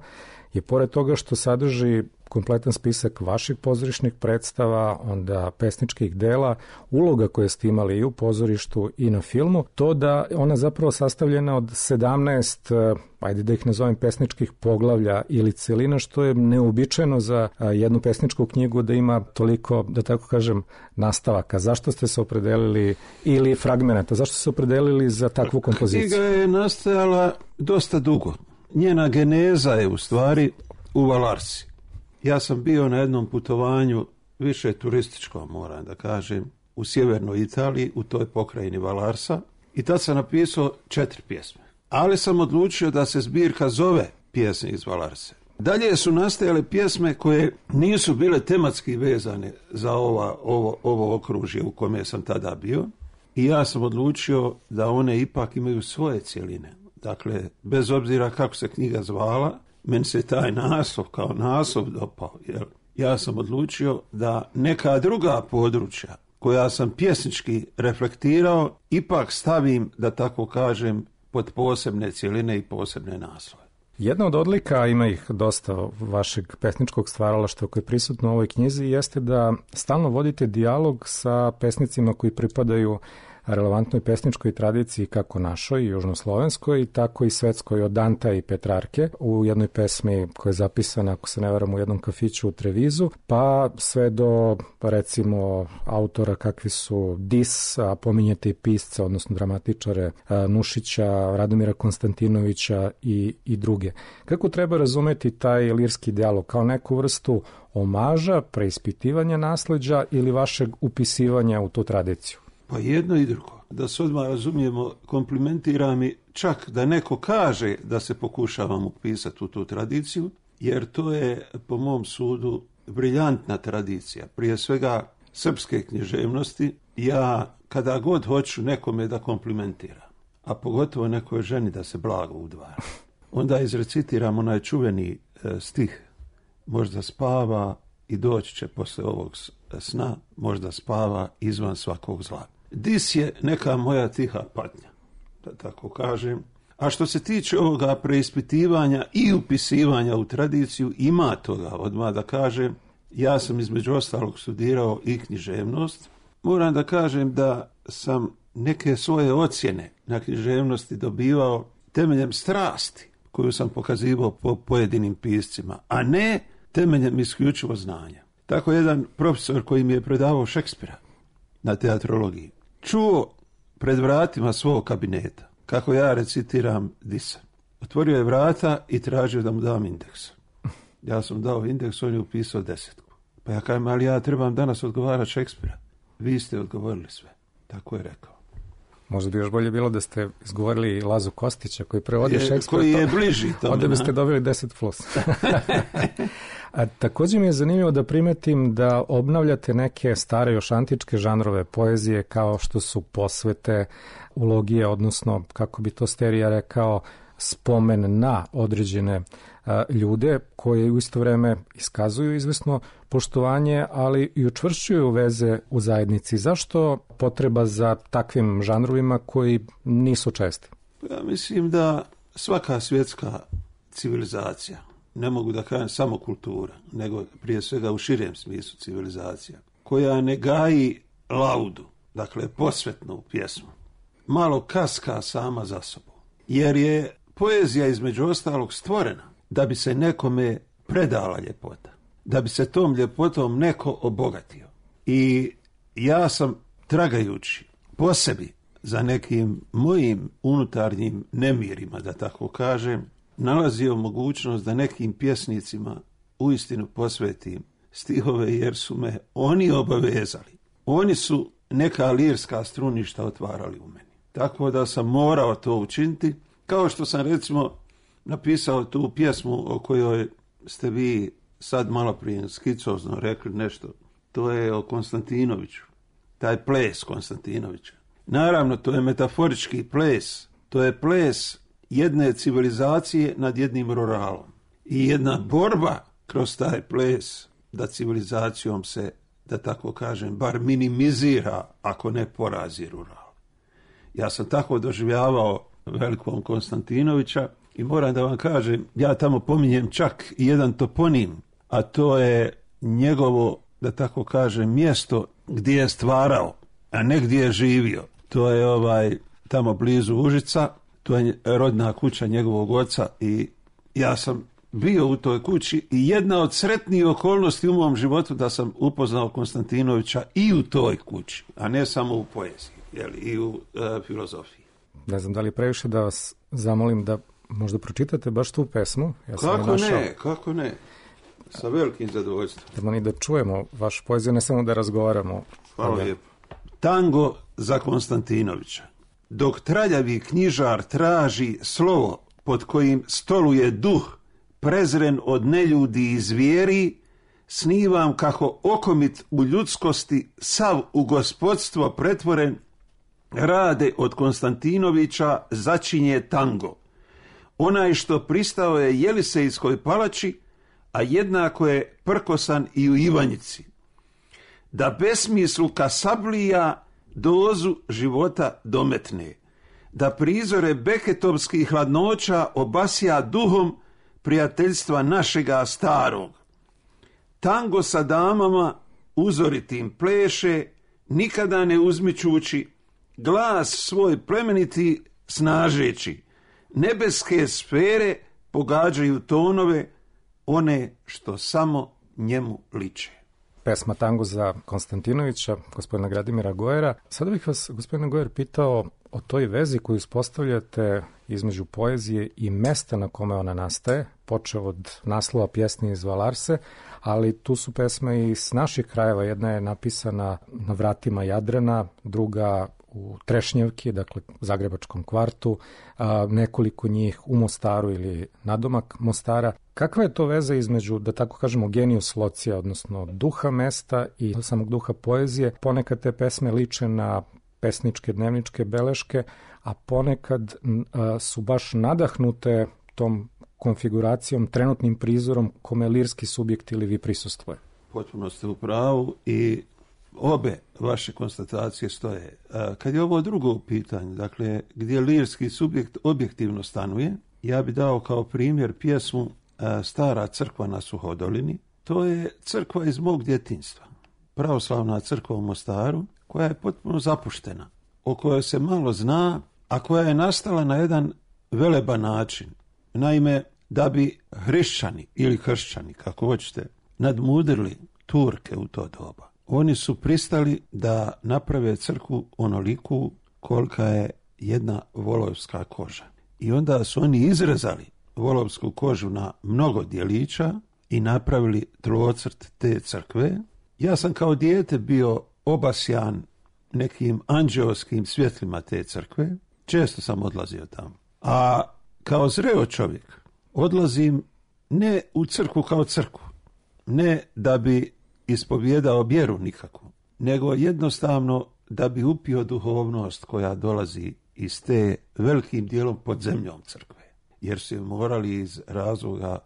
je pored toga što sadrži kompletan spisak vaših pozorišnih predstava, onda pesničkih dela, uloga koje ste imali i u pozorištu i na filmu, to da ona zapravo sastavljena od sedamnaest, ajde da ih nazovem, pesničkih poglavlja ili celina, što je neuobičajeno za jednu pesničku knjigu da ima toliko, da tako kažem, nastavaka. Zašto ste se opredelili, ili fragmenata, zašto ste se opredelili za takvu kompoziciju? Knjiga je nastajala dosta dugo. Njena geneza je u stvari u Valarsi. Ja sam bio na jednom putovanju, više turističkom, moram da kažem, u sjevernoj Italiji, u toj pokrajini Valarsa, i tad sam napisao četiri pjesme. Ali sam odlučio da se zbirka zove Pjesme iz Valarse. Dalje su nastajale pjesme koje nisu bile tematski vezane za ova, ovo, ovo okružje u kome sam tada bio, i ja sam odlučio da one ipak imaju svoje cjeline. Dakle, bez obzira kako se knjiga zvala, meni se taj naslov kao naslov dopao. Jer ja sam odlučio da neka druga područja koja sam pjesnički reflektirao ipak stavim, da tako kažem, pod posebne cjeline i posebne naslove. Jedna od odlika, ima ih dosta vašeg pesničkog stvaralaštva koje je prisutno u ovoj knjizi, jeste da stalno vodite dijalog sa pesnicima koji pripadaju relevantnoj pesničkoj tradiciji kako našoj, južnoslovenskoj, tako i svetskoj, od Danta i Petrarke, u jednoj pesmi koja je zapisana, ako se ne varam, u jednom kafiću u Trevizu, pa sve do, recimo, autora kakvi su Dis, a pominjete i pisca, odnosno dramatičare Nušića, Radomira Konstantinovića i, i druge. Kako treba razumeti taj lirski dijalog? Kao neku vrstu omaža, preispitivanja nasleđa ili vašeg upisivanja u tu tradiciju? Pa jedno i drugo. Da se odmah razumijemo, komplementira mi čak da neko kaže da se pokušavam upisati u tu tradiciju, jer to je, po mom sudu, briljantna tradicija. Prije svega srpske književnosti. Ja, kada god hoću nekome da komplimentiram, a pogotovo nekoj ženi da se blago udvara, onda izrecitiram onaj čuveni e, stih: možda spava i doći će posle ovog sna, možda spava izvan svakog zla. Dis je neka moja tiha patnja, da tako kažem. A što se tiče ovoga preispitivanja i upisivanja u tradiciju, ima toga, odmah da kažem. Ja sam između ostalog studirao i književnost. Moram da kažem da sam neke svoje ocjene na književnosti dobivao temeljem strasti koju sam pokazivao po pojedinim piscima, a ne temeljem isključivo znanja. Tako jedan profesor koji mi je predavao Šekspira na teatrologiji čuo pred vratima svog kabineta, kako ja recitiram Disa. Otvorio je vrata i tražio da mu dam indeks. Ja sam dao indeks, on je upisao desetku. Pa ja kažem, ali ja trebam danas odgovarati Šekspira. Vi ste odgovorili sve. Tako je rekao. Možda bi još bolje bilo da ste izgovorili Lazu Kostića koji prevodi Šekspira. Koji je bliži tome. Onda biste dobili deset plus. A također mi je zanimljivo da primetim da obnavljate neke stare još antičke žanrove poezije kao što su posvete, ulogije, odnosno, kako bi to Sterija rekao, spomen na određene a, ljude koje u isto vreme iskazuju izvesno poštovanje, ali i učvršćuju veze u zajednici. Zašto potreba za takvim žanrovima koji nisu česti? Ja mislim da svaka svjetska civilizacija, ne mogu da kažem samo kultura, nego prije svega u širem smislu civilizacija, koja ne gaji laudu, dakle posvetnu pjesmu, malo kaska sama za sobom. Jer je poezija između ostalog stvorena da bi se nekome predala ljepota, da bi se tom ljepotom neko obogatio. I ja sam, tragajući po sebi za nekim mojim unutarnjim nemirima, da tako kažem, nalazio mogućnost da nekim pjesnicima uistinu posvetim stihove, jer su me oni obavezali. Oni su neka lirska struništa otvarali u meni. Tako da sam morao to učiniti, kao što sam recimo napisao tu pjesmu o kojoj ste vi sad malo prije skicozno rekli nešto. To je o Konstantinoviću, taj ples Konstantinovića. Naravno, to je metaforički ples, to je ples jedne civilizacije nad jednim ruralom. I jedna borba kroz taj ples da civilizacijom se, da tako kažem, bar minimizira, ako ne porazi rural. Ja sam tako doživljavao velikog Konstantinovića i moram da vam kažem, ja tamo pominjem čak i jedan toponim, a to je njegovo, da tako kažem, mjesto gdje je stvarao, a ne gdje je živio. To je ovaj tamo blizu Užica, to je rodna kuća njegovog oca i ja sam bio u toj kući i jedna od sretnijih okolnosti u mom životu da sam upoznao Konstantinovića i u toj kući, a ne samo u poeziji, jeli, i u e, filozofiji. Ne znam da li previše da vas zamolim da možda pročitate baš tu pesmu. Ja sam kako našao... ne, kako ne. Sa velikim zadovoljstvom. Da mi da čujemo vašu poeziju, ne samo da razgovaramo. Hvala lijepo. Tango za Konstantinovića. Dok traljavi knjižar traži slovo pod kojim stoluje duh prezren od neljudi i zvijeri, snivam kako okomit u ljudskosti sav u gospodstvo pretvoren, rade od Konstantinovića začinje tango. Onaj što pristao je Jelisejskoj palači, a jednako je prkosan i u Ivanjici. Da besmislu kasablija dozu života dometne, da prizore beketovskih hladnoća obasja duhom prijateljstva našega starog. Tango sa damama uzoritim pleše, nikada ne uzmičući, glas svoj plemeniti snažeći. Nebeske sfere pogađaju tonove, one što samo njemu liče. Pesma Tango za Konstantinovića, gospodina Gradimira Gojera. Sada bih vas, gospodine Gojer, pitao o toj vezi koju uspostavljate između poezije i mesta na kome ona nastaje, počeo od naslova pjesme iz Valarse, ali tu su pesme i s naših krajeva. Jedna je napisana na vratima Jadrana, druga u Trešnjevki, dakle Zagrebačkom kvartu, a nekoliko njih u Mostaru ili nadomak Mostara. Kakva je to veza između, da tako kažemo, genius locija, odnosno duha mesta i samog duha poezije? Ponekad te pesme liče na pesničke dnevničke beleške, a ponekad a, su baš nadahnute tom konfiguracijom, trenutnim prizorom kome lirski subjekt ili vi prisustvuje. Potpuno ste u pravu i obe vaše konstatacije stoje. Kad je ovo drugo pitanje, dakle, gdje lirski subjekt objektivno stanuje, ja bi dao kao primjer pjesmu Stara crkva na Suhodolini. To je crkva iz mog djetinjstva. Pravoslavna crkva u Mostaru, koja je potpuno zapuštena, o kojoj se malo zna, a koja je nastala na jedan veleban način. Naime, da bi hrišćani ili kršćani, kako hoćete, nadmudrili Turke u to doba, oni su pristali da naprave crkvu onoliku kolika je jedna volovska koža. I onda su oni izrezali volovsku kožu na mnogo dijelića i napravili tlocrt te crkve. Ja sam kao dijete bio obasjan nekim anđeoskim svjetlima te crkve. Često sam odlazio tamo. A kao zreo čovjek odlazim ne u crkvu kao crkvu, ne da bi ispovijedao vjeru nikakvu, nego jednostavno da bi upio duhovnost koja dolazi iz te velikim dijelom pod zemljom crkve. Jer su je morali iz razloga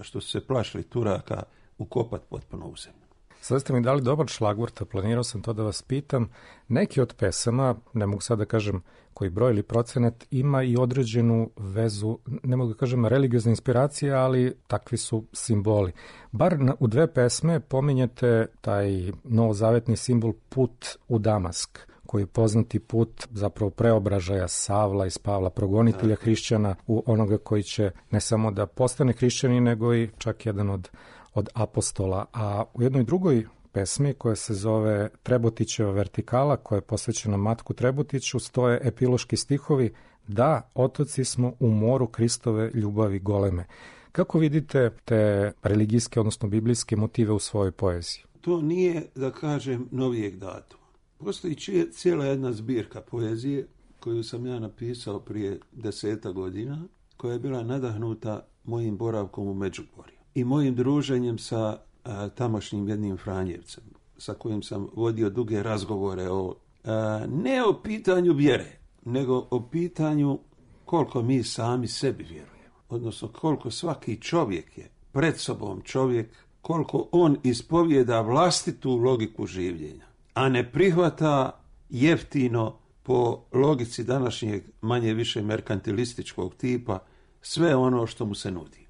što su se plašili Turaka ukopati potpuno u zemlju. Sada ste mi dali dobar šlagvort, a planirao sam to da vas pitam. Neki od pesama, ne mogu sad da kažem koji broj ili procenat, ima i određenu vezu, ne mogu da kažem religiozne inspiracije, ali takvi su simboli. Bar na, u dve pesme pominjete taj novozavetni simbol put u Damask, koji je poznati put zapravo preobražaja Savla iz Pavla, progonitelja hrišćana u onoga koji će ne samo da postane hrišćanin, nego i čak jedan od od apostola, a u jednoj drugoj pesmi koja se zove Trebotićeva vertikala, koja je posvećena Matku Trebotiću, stoje epiloški stihovi: da, otoci smo u moru Kristove ljubavi goleme. Kako vidite te religijske, odnosno biblijske motive u svojoj poeziji? To nije, da kažem, novijeg datuma. Postoji cijela jedna zbirka poezije koju sam ja napisao prije deseta godina, koja je bila nadahnuta mojim boravkom u Međugorju i mojim druženjem sa a, tamošnjim jednim Franjevcem, sa kojim sam vodio duge razgovore o, a, ne o pitanju vjere, nego o pitanju koliko mi sami sebi vjerujemo. Odnosno koliko svaki čovjek je pred sobom čovjek, koliko on ispovijeda vlastitu logiku življenja, a ne prihvata jeftino po logici današnjeg manje više merkantilističkog tipa sve ono što mu se nudi.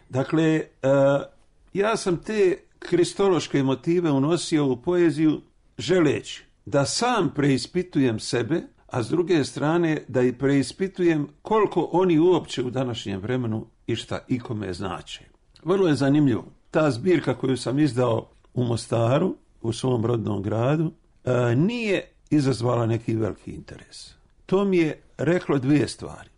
Dakle, ja sam te kristološke motive unosio u poeziju želeći da sam preispitujem sebe, a s druge strane da i preispitujem koliko oni uopće u današnjem vremenu i šta ikome znače. Vrlo je zanimljivo. Ta zbirka koju sam izdao u Mostaru, u svom rodnom gradu, nije izazvala neki veliki interes. To mi je reklo dvije stvari.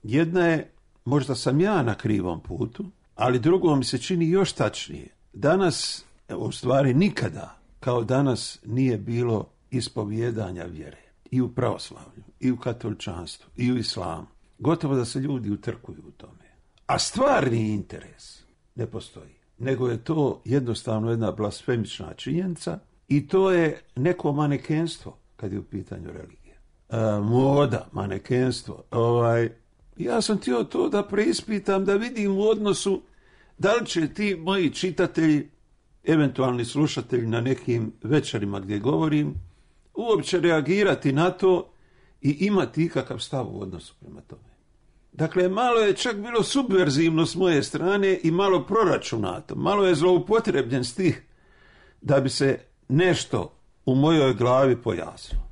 Jedna je, možda sam ja na krivom putu, ali drugo mi se čini još tačnije. Danas, u stvari nikada, kao danas nije bilo ispovijedanja vjere. I u pravoslavlju, i u katoličanstvu, i u islamu. Gotovo da se ljudi utrkuju u tome. A stvarni interes ne postoji. Nego je to jednostavno jedna blasfemična činjenica i to je neko manekenstvo kad je u pitanju religije. E, moda, manekenstvo. Ovaj, ja sam htio to da preispitam, da vidim u odnosu da li će ti moji čitatelji, eventualni slušatelji na nekim večerima gdje govorim, uopće reagirati na to i imati ikakav stav u odnosu prema tome. Dakle, malo je čak bilo subverzivno s moje strane i malo proračunato, malo je zloupotrebljen stih da bi se nešto u mojoj glavi pojasnilo.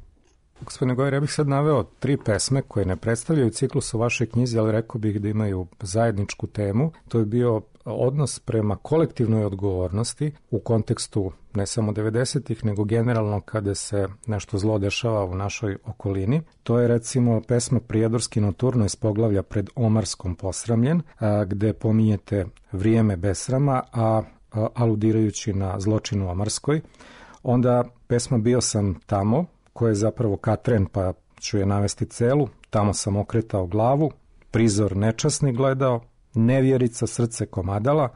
Gospodine Gojer, ja bih sad naveo tri pesme koje ne predstavljaju ciklus u vašoj knjizi, ali rekao bih da imaju zajedničku temu. To je bio odnos prema kolektivnoj odgovornosti u kontekstu ne samo devedesetih, nego generalno kada se nešto zlo dešava u našoj okolini. To je recimo pesma Prijedorski noturno iz poglavlja Pred Omarskom posramljen, a, gde pominjete vrijeme besrama, a, a aludirajući na zločin u Omarskoj. Onda pesma Bio sam tamo, koja je zapravo Katren, pa ću je navesti celu. Tamo sam okretao glavu, prizor nečasni gledao, nevjerica srce komadala,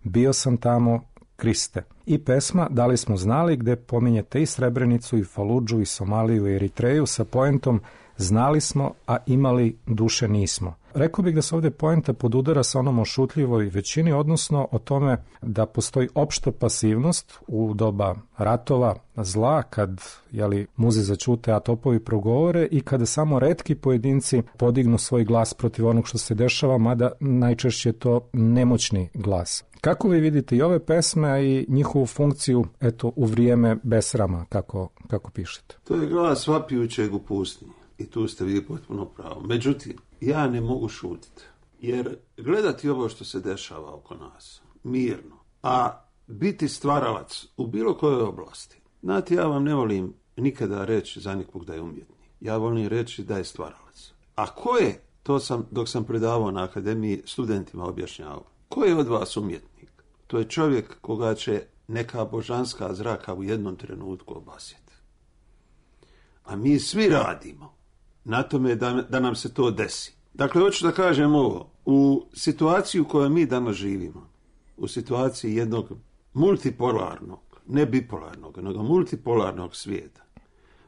bio sam tamo, Kriste. I pesma Da li smo znali, gde pominjete i Srebrenicu, i Faludžu, i Somaliju, i Eritreju sa poentom znali smo, a imali duše nismo. Rekao bih da se ovdje poenta podudara sa onom o šutljivoj većini, odnosno o tome da postoji opšta pasivnost u doba ratova, zla, kad jeli, muze začute, a topovi progovore, i kada samo retki pojedinci podignu svoj glas protiv onog što se dešava, mada najčešće je to nemoćni glas. Kako vi vidite i ove pesme i njihovu funkciju eto, u vrijeme besrama, kako, kako pišete? To je glas vapijućeg u pustinji. I tu ste vi potpuno pravo. Međutim, ja ne mogu šutiti. Jer gledati ovo što se dešava oko nas, mirno, a biti stvaralac u bilo kojoj oblasti. Znate, ja vam ne volim nikada reći za nikog da je umjetnik. ja volim reći da je stvaralac. A ko je, to sam, dok sam predavao na akademiji, studentima objašnjavao, ko je od vas umjetnik? To je čovjek koga će neka božanska zraka u jednom trenutku obasjeti. A mi svi radimo na tome da, da nam se to desi. Dakle, hoću da kažem ovo, u situaciji u kojoj mi danas živimo, u situaciji jednog multipolarnog, ne bipolarnog, nego multipolarnog svijeta,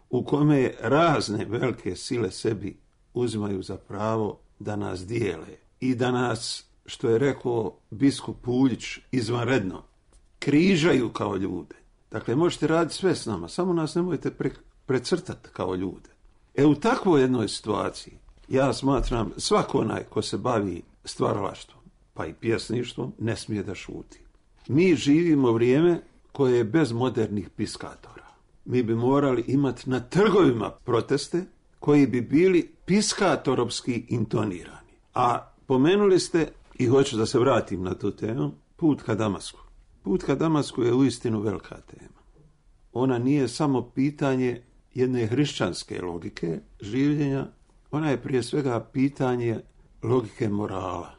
u kome razne velike sile sebi uzimaju za pravo da nas dijele i da nas, što je rekao biskup Puljić, izvanredno, križaju kao ljude. Dakle, možete raditi sve s nama, samo nas nemojte pre, precrtati kao ljude. E, u takvoj jednoj situaciji, ja smatram, svako onaj ko se bavi stvaralaštvom, pa i pjesništvom, ne smije da šuti. Mi živimo vrijeme koje je bez modernih piskatora. Mi bi morali imati na trgovima proteste koji bi bili piskatorovski intonirani. A pomenuli ste, i hoću da se vratim na tu temu, put ka Damasku. Put ka Damasku je uistinu velika tema. Ona nije samo pitanje jedne hrišćanske logike življenja, ona je prije svega pitanje logike morala,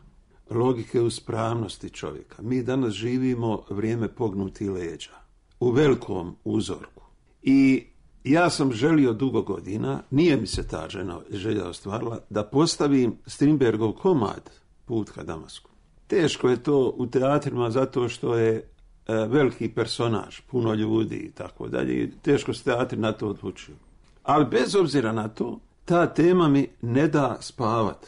logike uspravnosti čovjeka. Mi danas živimo vrijeme pognutih leđa, u velikom uzorku. I ja sam želio dugo godina, nije mi se ta žena, želja ostvarila, da postavim Strindbergov komad Put ka Damasku. Teško je to u teatrima zato što je e, veliki personaž, puno ljudi i tako dalje. Teško se teatri na to odlučuju. Ali bez obzira na to, ta tema mi ne da spavat.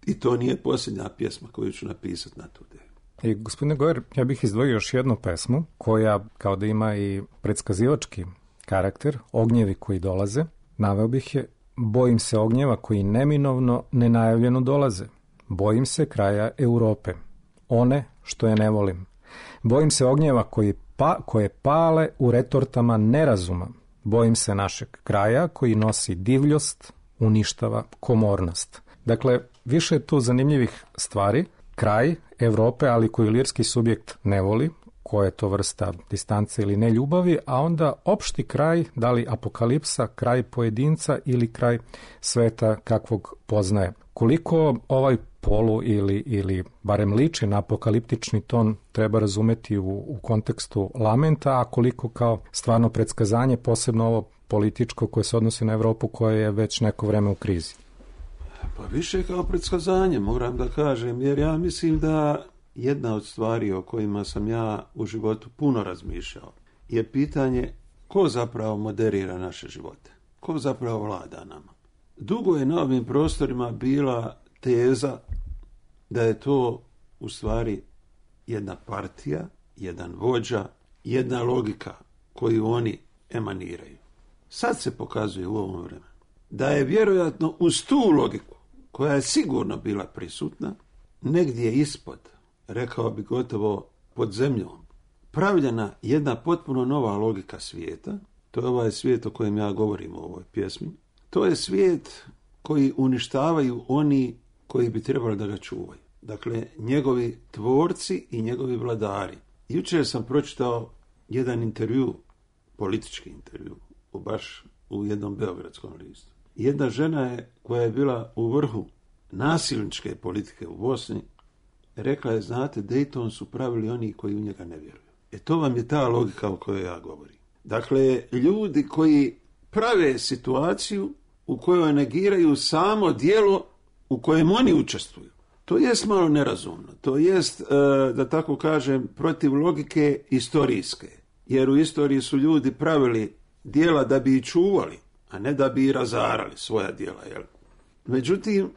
I to nije posljednja pjesma koju ću napisati na tu temu. I gospodine Gojer, ja bih izdvojio još jednu pesmu koja kao da ima i predskazivački karakter, Ognjevi koji dolaze. Naveo bih je, bojim se ognjeva koji neminovno, nenajavljeno dolaze. Bojim se kraja Europe, one što je ne volim. Bojim se ognjeva koji pa, koje pale u retortama nerazuma. Bojim se našeg kraja koji nosi divljost, uništava komornost. Dakle, više je tu zanimljivih stvari. Kraj Evrope, ali koju lirski subjekt ne voli, koja je to vrsta distance ili ne ljubavi, a onda opšti kraj, da li apokalipsa, kraj pojedinca ili kraj sveta kakvog poznaje. Koliko ovaj polu ili, ili barem liči na apokaliptični ton treba razumeti u, u kontekstu lamenta, a koliko kao stvarno predskazanje, posebno ovo političko koje se odnosi na Evropu koja je već neko vreme u krizi? Pa više kao predskazanje, moram da kažem, jer ja mislim da jedna od stvari o kojima sam ja u životu puno razmišljao je pitanje ko zapravo moderira naše živote, ko zapravo vlada nama. Dugo je na ovim prostorima bila teza da je to u stvari jedna partija, jedan vođa, jedna logika koju oni emaniraju. Sad se pokazuje u ovom vremenu da je vjerojatno uz tu logiku, koja je sigurno bila prisutna, negdje ispod, rekao bi gotovo pod zemljom, pravljena jedna potpuno nova logika svijeta. To je ovaj svijet o kojem ja govorim u ovoj pjesmi. To je svijet koji uništavaju oni koji bi trebali da ga čuvaju. Dakle, njegovi tvorci i njegovi vladari. Jučer sam pročitao jedan intervju, politički intervju, baš u jednom beogradskom listu. Jedna žena je, koja je bila u vrhu nasilničke politike u Bosni, rekla je, znate, Dayton su pravili oni koji u njega ne vjeruju. E to vam je ta logika o kojoj ja govorim. Dakle, ljudi koji prave situaciju u kojoj negiraju samo djelo u kojem oni učestvuju. To jest malo nerazumno. To jest, da tako kažem, protiv logike istorijske. Jer u istoriji su ljudi pravili djela da bi ih čuvali, a ne da bi ih razarali svoja djela. Jel? Međutim,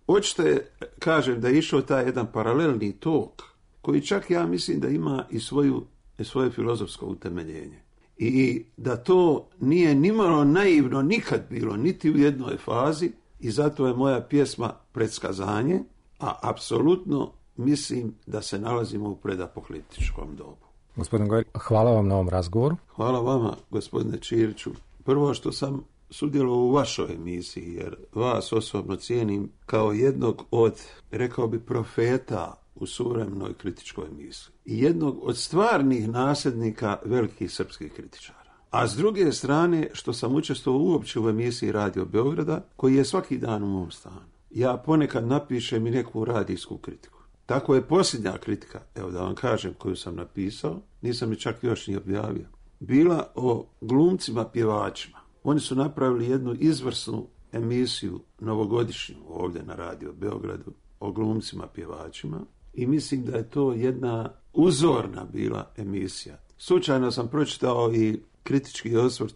očite kažem da je išao taj jedan paralelni tok, koji čak ja mislim da ima i svoju, i svoje filozofsko utemeljenje. I da to nije nimalo naivno nikad bilo, niti u jednoj fazi, i zato je moja pjesma predskazanje, a apsolutno mislim da se nalazimo u predapokaliptičkom dobu. Gospodin Gojer, hvala vam na ovom razgovoru. Hvala vama, gospodine Čiriću. Prvo što sam sudjelovao u vašoj emisiji, jer vas osobno cijenim kao jednog od, rekao bi, profeta u suvremenoj kritičkoj misli. I jednog od stvarnih nasljednika velikih srpskih kritičara. A s druge strane, što sam učestvovao uopće u emisiji Radio Beograda, koji je svaki dan u mom stanu. Ja ponekad napišem i neku radijsku kritiku. Tako je posljednja kritika, evo da vam kažem, koju sam napisao, nisam je čak još ni objavio, bila o glumcima pjevačima. Oni su napravili jednu izvrsnu emisiju novogodišnju ovdje na Radio Beogradu o glumcima pjevačima i mislim da je to jedna uzorna bila emisija. Slučajno sam pročitao i kritički osvrt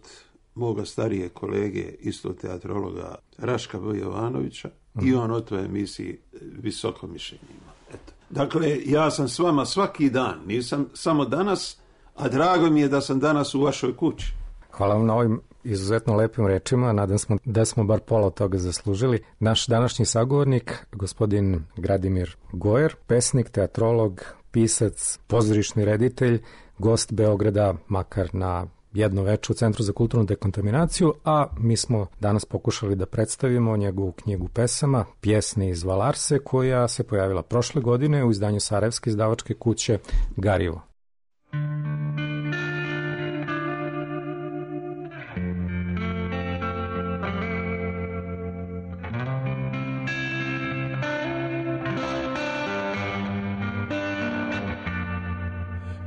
moga starije kolege, isto teatrologa Raška B. Jovanovića, mm. i on o toj emisiji visoko mišljenje ima. Eto. Dakle, ja sam s vama svaki dan, nisam samo danas, a drago mi je da sam danas u vašoj kući. Hvala vam na ovim izuzetno lepim rečima, nadam smo da smo bar pola od toga zaslužili. Naš današnji sagovornik, gospodin Gradimir Gojer, pesnik, teatrolog, pisac, pozorišni reditelj, gost Beograda, makar na jedno veče u Centru za kulturnu dekontaminaciju, a mi smo danas pokušali da predstavimo njegovu knjigu pesama, Pjesne iz Valarse, koja se pojavila prošle godine u izdanju sarajevske izdavačke kuće Garivo.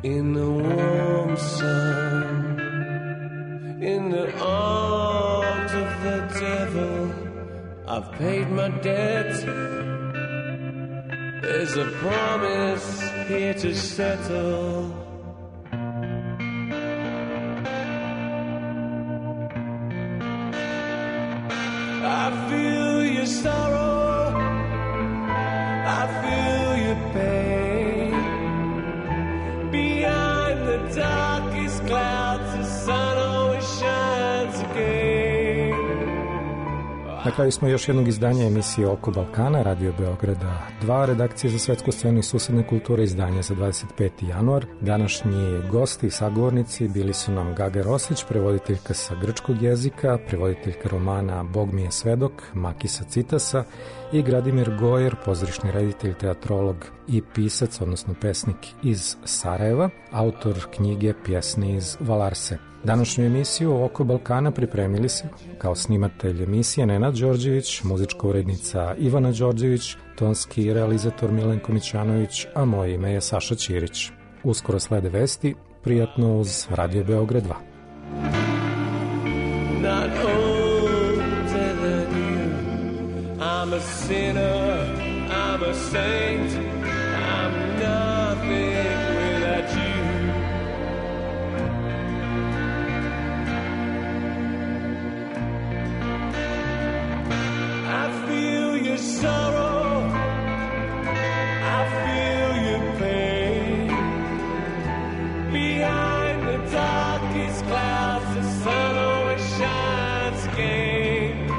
In the warm sun, in the arms of the devil, I've paid my debt. There's a promise here to settle. I feel your sorrow, I feel your pain. Behind the darkest clouds, the sun always shines again. Na kraju smo još jednog izdanja emisije Oko Balkana, Radio Beograda dva, redakcije za svetsku scenu i susedne kulture, izdanja za dvadeset peti januar. Današnji gosti i sagovornici bili su nam Gaga Rosić, prevoditeljka sa grčkog jezika, prevoditeljka romana Bog mi je svedok, Makisa Citasa, i Gradimir Gojer, pozorišni reditelj, teatrolog i pisac, odnosno pesnik iz Sarajeva, autor knjige Pjesne iz Valarse. Današnju emisiju Oko Balkana pripremili se kao snimatelj emisije Nenad Đorđević, muzička urednica Ivana Đorđević, tonski realizator Milenko Mićanović, a moje ime je Saša Ćirić. Uskoro slede vesti, prijatno uz Radio Beograd dva. Not older than you. I'm a sinner, I'm a saint, I'm nothing without you. I feel your sorrow, I feel your pain. Behind the darkest clouds, the sun always shines again.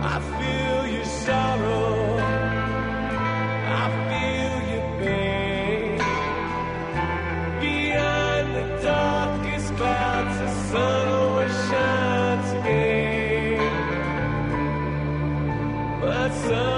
I feel your sorrow, I feel your pain. Behind the darkest clouds, the sun always shines again. But sun